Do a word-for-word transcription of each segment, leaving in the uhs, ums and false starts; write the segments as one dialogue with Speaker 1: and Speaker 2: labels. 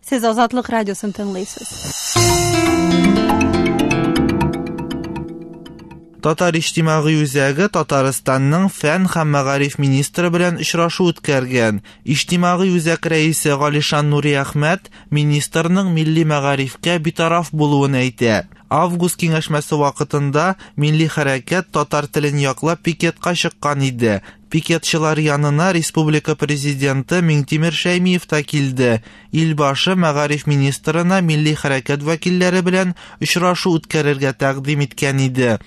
Speaker 1: Сез Азатлык радиосын тыңлыйсыз.
Speaker 2: Татар иҗтимагый үзәге Татарстанның фән һәм мәгариф министры белән очрашу үткәргән. Иҗтимагый үзәк рәисе Галишан Нуриәхмәт министрның милли мәгарифкә битараф булуын әйтә. Август киңәшмәсе вакытында милли хәрәкәт татар телен яклап пикетка чыккан иде. Пикетчылар янына республика президенты Миңтимер Шәймиев та килде. Илбашы мәгариф министрына милли хәрәкәт вәкилләре белән очрашу үткәрергә тәкъдим иткән иде.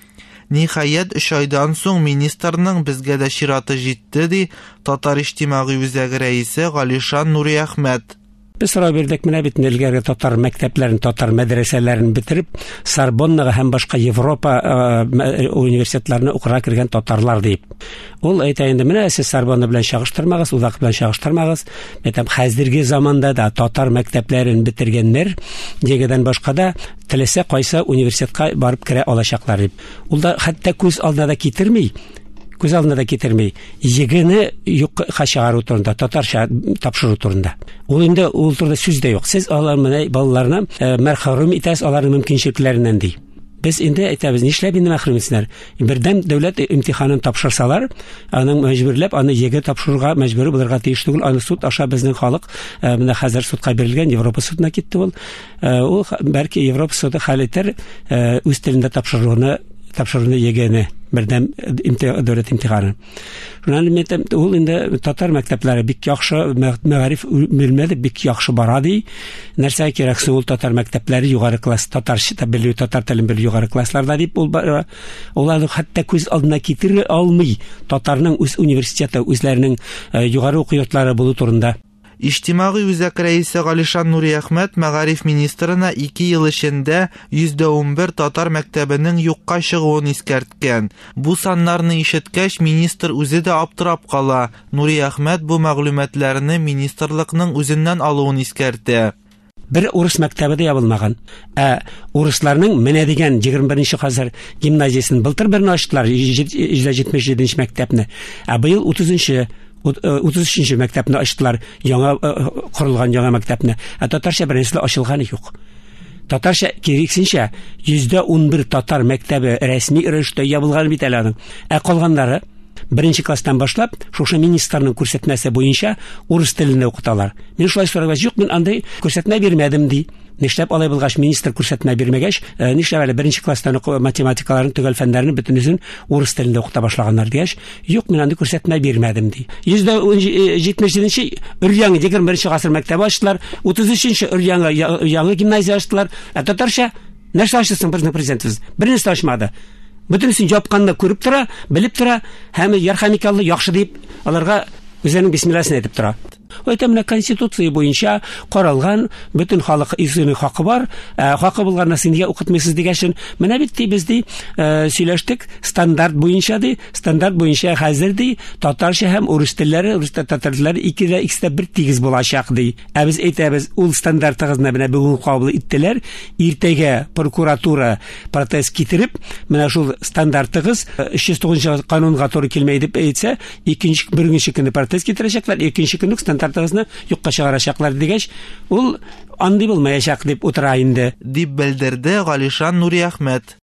Speaker 2: Ниһаять, өч айдан соң министрның безгә дә чираты җитте, ди Татар иҗтимагый үзәге рәисе Галишан Нуриәхмәт.
Speaker 3: Без сорау бирдек, менә бит элгәре татар мәктәпләрен, татар мәдрәсәләрен бетереп, Сорбоннага һәм башка Европа университетларына укырга кергән татарлар дип. Ул әйтә инде, менә сез Сорбонна белән чагыштырмагыз, Удак белән чагыштырмагыз. Әйтәм, хәзерге заманда да татар мәктәпләрен бетергәннәр, ЕГЭдән башка да теләсә кайсы университетка барып керә алачаклар дип. Ул да хәтта күз алдына да китерми. Күз алдына да китерми. ЕГЭне юкка чыгару турында, татарча тапшыру турында. Ул инде ул турында сүз дә юк. Сез алар менә балаларны мәрхүм итәсез, аларның мөмкинчелекләреннән ди. Без инде әйтәбез, нишләп инде мәхрүм итсеннәр? Бердәм дәүләт имтиханын тапшырсалар, аның мәҗбүрләп аны ЕГЭ тапшыруга мәҗбүр булырга тиеш түгел. Аны суд аша безнең халык менә хәзер судка бирелгән, Европа судына китте ул. Ул бәлки Европа суды хәл итәр, үз телендә тапшыруны тапшыруны ЕГЭне, бердәм дәүләт имтиханы. Шуннан әйтәм, ул инде татар мәктәпләре бик яхшы, мәгариф бүлмәләре бик яхшы бара ди. Нәрсә кирәк соң ул татар мәктәпләре югары класс, татарча белү, татар телен белү югары классларда дип ул аларны хәтта күз алдына китерә алмый. Татарның үз университеты, үзләренең югары уку йортлары булу турында.
Speaker 2: Иҗтимагый үзәк рәисе Галишан Нуриәхмәт мәгариф министрына ике ел эчендә йөз унбер татар мәктәбенең юкка чыгуын искәрткән. Бу саннарны ишеткәч, министр үзе дә аптырап кала. Нуриәхмәт бу мәгълүматларны министрлыкның үзеннән алуын искәртә.
Speaker 3: Бер урыс мәктәбе дә ябылмаган. Ә урысларның менә дигән егерме беренче гасыр гимназиясен былтыр берне ачтылар, йөз җитмеш җиденче мәктәпне. Ә быел утызынчы утыз өченче мәктәпне ачтылар, яңа корылган яңа мәктәпне. Ә татарча беренчесе ачылганы юк. Татарча киресенчә йөз унбер татар мәктәбе рәсми рәвештә ябылган бит әле аның. Ә калганнары беренче класстан башлап шушы министрның күрсәтмәсе буенча урыс телендә укыталар. Мин шулай сорагач, юк, мин андый күрсәтмә бирмәдем ди. Нишләп алай булгач, министр күрсәтмә бирмәгәч, нишләп әле беренче класстан ук математикаларын, төгәл фәннәрен бөтенесен урыс телендә укыта башлаганнар дигәч, юк, мин андый күрсәтмә бирмәдем ди. йөз җитмеш җиденче өр-яңы егерме беренче гасыр мәктәбе ачтылар, утыз өченче өр-яңы яңы гимназия ачтылар. Ә татарча нәрсә ачты соң безнең президентыбыз? Бернәрсә ачмады. Бөтенесен япканны күреп тора, белеп тора, һәм ярхәмикаллы яхшы дип аларга үзенең бисмилласын әйтеп тора. Әйтә, менә конституция буенча каралган бөтен халык үзенең хакы бар, хакы булганны син нигә укытмыйсыз дигәчен, менә бит ди, без ди сөйләштек, стандарт буенча ди, стандарт буенча хәзер ди, татарча һәм урыс телләре, урыс татар телләре ике дә икесе дә бер тигез булачак ди. Ә без әйтәбез, ул стандартыгызны менә бүген кабул иттеләр, иртәгә прокуратура протест китереп, менә шул стандартыгыз өч йөз тугызынчы канунга туры килмәй дип әйтсә, икенче беренче көнне протест китерәчәкләр, икенче көнне стандарт юкка чыгарачаклар дигәч, ул андый булмаячак дип утыра инде,
Speaker 2: дип белдерде Галишан Нуриәхмәт.